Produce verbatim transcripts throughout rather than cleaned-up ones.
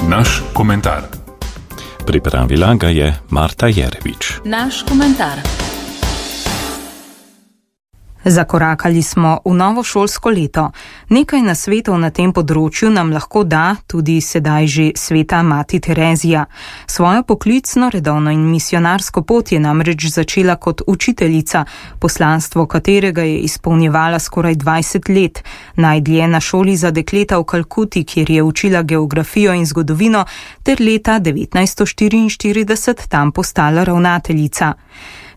Naš komentar. Pripravila ga je Marta Jerevič. Naš komentar. Zakorakali smo v novo šolsko leto. Nekaj nasvetov na tem področju nam lahko da tudi sedaj že sveta mati Terezija. Svojo poklicno, redovno in misionarsko pot je namreč začela kot učiteljica, poslanstvo katerega je izpolnjevala skoraj dvajset let, najdlje na šoli za dekleta v Kalkuti, kjer je učila geografijo in zgodovino, ter leta devetnajststo štiriinštirideset tam postala ravnateljica.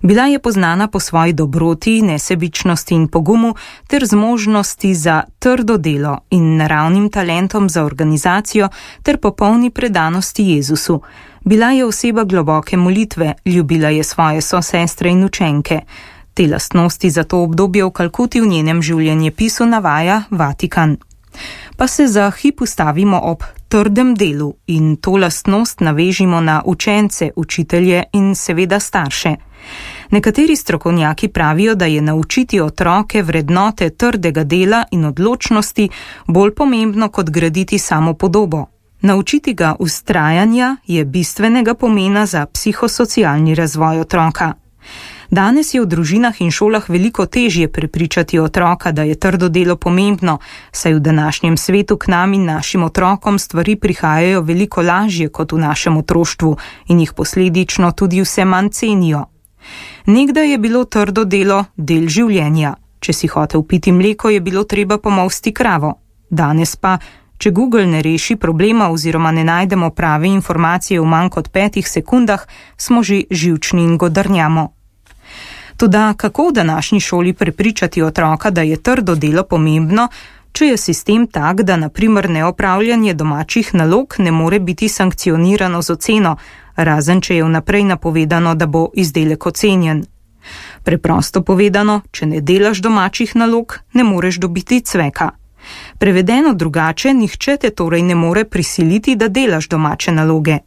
Bila je poznana po svoji dobroti, nesebičnosti in pogumu ter zmožnosti za trdo delo in naravnim talentom za organizacijo ter popolni predanosti Jezusu. Bila je oseba globoke molitve, ljubila je svoje sosestre in učenke. Te lastnosti za to obdobje v Kalkuti v njenem življenjepisu navaja Vatikan. Pa se za hip ustavimo ob trdem delu in to lastnost navežimo na učence, učitelje in seveda starše. Nekateri strokovnjaki pravijo, da je naučiti otroke vrednote trdega dela in odločnosti bolj pomembno kot graditi samopodobo. Naučiti ga vztrajanja je bistvenega pomena za psihosocialni razvoj otroka. Danes je v družinah in šolah veliko težje prepričati otroka, da je trdo delo pomembno, saj v današnjem svetu k nam in našim otrokom stvari prihajajo veliko lažje kot v našem otroštvu in jih posledično tudi vse manj cenijo. Nekdaj je bilo trdo delo del življenja. Če si hotel piti mleko, je bilo treba pomolsti kravo. Danes pa, če Google ne reši problema oziroma ne najdemo prave informacije v manj kot petih sekundah, smo že živčni in godrnjamo. Toda kako v današnji šoli prepričati otroka, da je trdo delo pomembno, če je sistem tak, da na primer neopravljanje domačih nalog ne more biti sankcionirano z oceno, razen če je vnaprej napovedano, da bo izdelek ocenjen. Preprosto povedano, če ne delaš domačih nalog, ne moreš dobiti cveka. Prevedeno drugače, nihče te torej ne more prisiliti, da delaš domače naloge.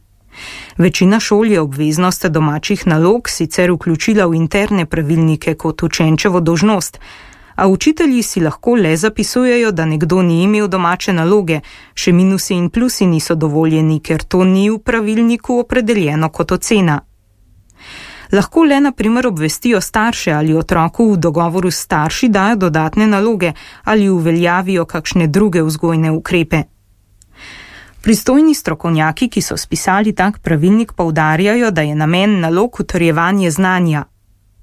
Večina šol je obveznost domačih nalog sicer vključila v interne pravilnike kot učenčevo dolžnost, a učitelji si lahko le zapisujejo, da nekdo ni imel domače naloge, še minusi in plusi niso dovoljeni, ker to ni v pravilniku opredeljeno kot ocena. Lahko le na primer obvestijo starše ali otroku v dogovoru s starši dajo dodatne naloge ali uveljavijo kakšne druge vzgojne ukrepe. Pristojni strokovnjaki, ki so spisali tak pravilnik, poudarjajo, da je namen nalog utrjevanje znanja.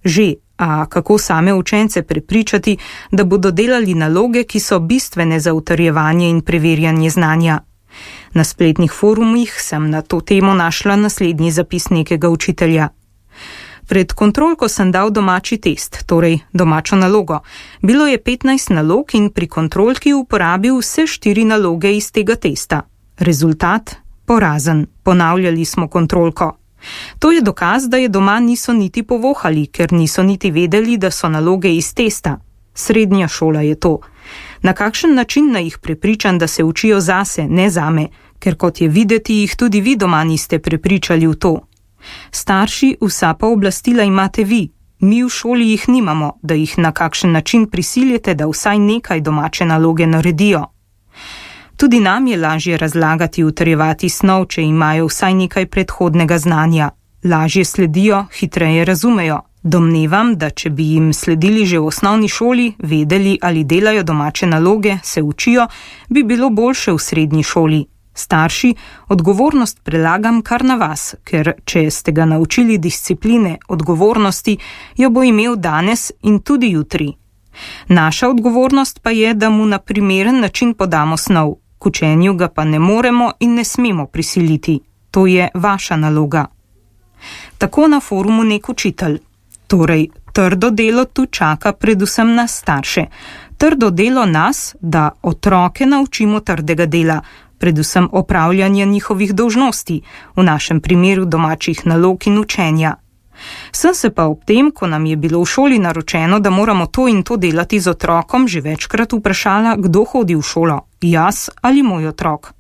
Že, a kako same učence prepričati, da bodo delali naloge, ki so bistvene za utrjevanje in preverjanje znanja? Na spletnih forumih sem na to temo našla naslednji zapis nekega učitelja. Pred kontrolko sem dal domači test, torej domačo nalogo. Bilo je petnajst nalog in pri kontrolki uporabil vse štiri naloge iz tega testa. Rezultat? Porazen. Ponavljali smo kontrolko. To je dokaz, da je doma niso niti povohali, ker niso niti vedeli, da so naloge iz testa. Srednja šola je to. Na kakšen način naj jih prepričam, da se učijo zase, ne zame, ker kot je videti, jih tudi vi doma niste prepričali v to. Starši, vsa pooblastila imate vi. Mi v šoli jih nimamo, da jih na kakšen način prisiljete, da vsaj nekaj domače naloge naredijo. Tudi nam je lažje razlagati, utrjevati snov, če imajo vsaj nekaj predhodnega znanja. Lažje sledijo, hitreje razumejo. Domnevam, da če bi jim sledili že v osnovni šoli, vedeli ali delajo domače naloge, se učijo, bi bilo boljše v srednji šoli. Starši, odgovornost prelagam kar na vas, ker če ste ga naučili discipline, odgovornosti, jo bo imel danes in tudi jutri. Naša odgovornost pa je, da mu na primeren način podamo snov. K učenju ga pa ne moremo in ne smemo prisiliti. To je vaša naloga. Tako na forumu nek učitelj. Torej, trdo delo tu čaka predvsem nas starše. Trdo delo nas, da otroke naučimo trdega dela, predvsem opravljanja njihovih dolžnosti, v našem primeru domačih nalog in učenja. Sem se pa ob tem, ko nam je bilo v šoli naročeno, da moramo to in to delati z otrokom, že večkrat vprašala, kdo hodi v šolo, jaz ali moj otrok.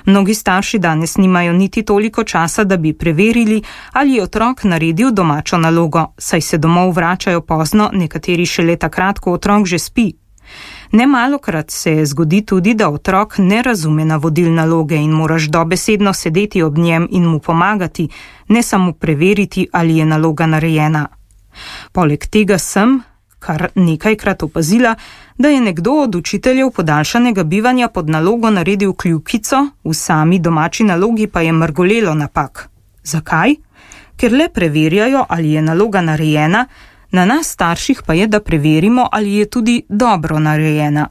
Mnogi starši danes nimajo niti toliko časa, da bi preverili, ali je otrok naredil domačo nalogo, saj se domov vračajo pozno, nekateri šele takrat, ko otrok že spi. Nemalokrat se zgodi tudi, da otrok ne razume navodil naloge in moraš dobesedno sedeti ob njem in mu pomagati, ne samo preveriti, ali je naloga narejena. Poleg tega sem, kar nekajkrat opazila, da je nekdo od učiteljev podaljšanega bivanja pod nalogo naredil kljukico, v sami domači nalogi pa je mrgolelo napak. Zakaj? Ker le preverjajo, ali je naloga narejena, na nas starših pa je, da preverimo, ali je tudi dobro narejena.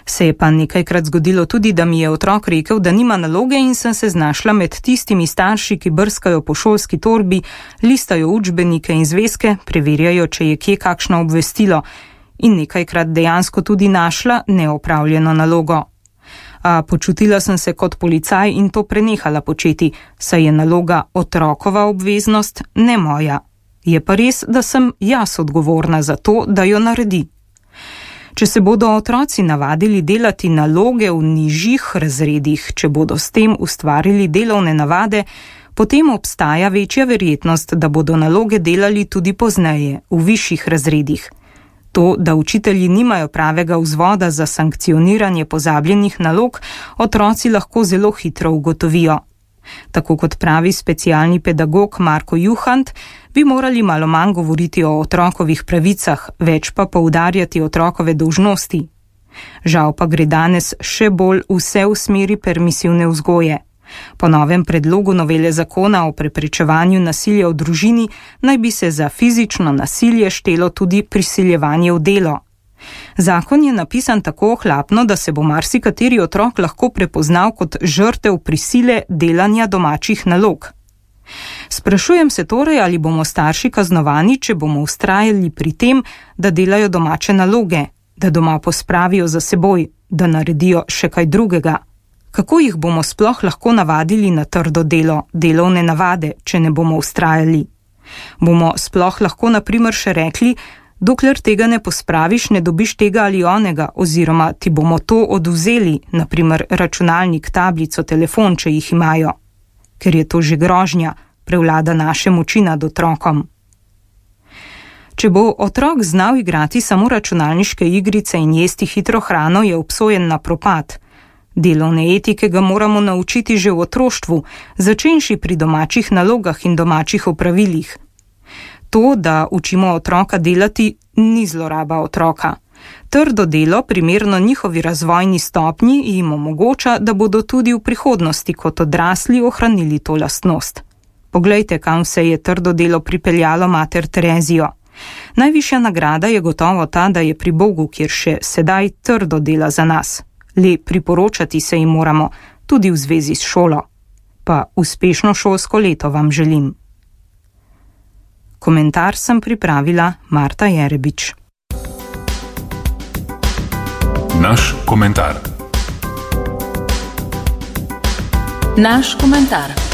Se je pa nekajkrat zgodilo tudi, da mi je otrok rekel, da nima naloge in sem se znašla med tistimi starši, ki brskajo po šolski torbi, listajo učbenike in zvezke, preverjajo, če je kje kakšno obvestilo in nekajkrat dejansko tudi našla neopravljeno nalogo. A počutila sem se kot policaj in to prenehala početi, saj je naloga otrokova obveznost, ne moja. Je pa res, da sem jaz odgovorna za to, da jo naredi. Če se bodo otroci navadili delati naloge v nižjih razredih, če bodo s tem ustvarili delovne navade, potem obstaja večja verjetnost, da bodo naloge delali tudi pozneje, v višjih razredih. To, da učitelji nimajo pravega vzvoda za sankcioniranje pozabljenih nalog, otroci lahko zelo hitro ugotovijo. Tako kot pravi specialni pedagog Marko Juhant, bi morali malo manj govoriti o otrokovih pravicah, več pa poudarjati otrokove dolžnosti. Žal pa gre danes še bolj vse v smeri permisivne vzgoje. Po novem predlogu novele zakona o preprečevanju nasilja v družini naj bi se za fizično nasilje štelo tudi prisiljevanje v delo. Zakon je napisan tako ohlapno, da se bo marsikateri otrok lahko prepoznal kot žrtev prisile delanja domačih nalog. Sprašujem se torej, ali bomo starši kaznovani, če bomo vztrajali pri tem, da delajo domače naloge, da doma pospravijo za seboj, da naredijo še kaj drugega. Kako jih bomo sploh lahko navadili na trdo delo, delovne navade, če ne bomo vztrajali? Bomo sploh lahko na primer še rekli, dokler tega ne pospraviš, ne dobiš tega ali onega, oziroma ti bomo to odvzeli, na primer računalnik, tablico, telefon, če jih imajo. Ker je to že grožnja, prevlada naše moči nad otrokom. Če bo otrok znal igrati samo računalniške igrice in jesti hitro hrano, je obsojen na propad. Delovne etike ga moramo naučiti že v otroštvu, začenši pri domačih nalogah in domačih opravilih. To, da učimo otroka delati, ni zloraba otroka. Trdo delo, primerno njihovi razvojni stopnji, jim omogoča, da bodo tudi v prihodnosti kot odrasli ohranili to lastnost. Poglejte, kam se je trdo delo pripeljalo mater Terezijo. Najvišja nagrada je gotovo ta, da je pri Bogu, kjer še sedaj trdo dela za nas. Le priporočati se jim moramo, tudi v zvezi s šolo. Pa uspešno šolsko leto vam želim. Komentar sem pripravila Marta Jerebič. Naš komentar. Naš komentar.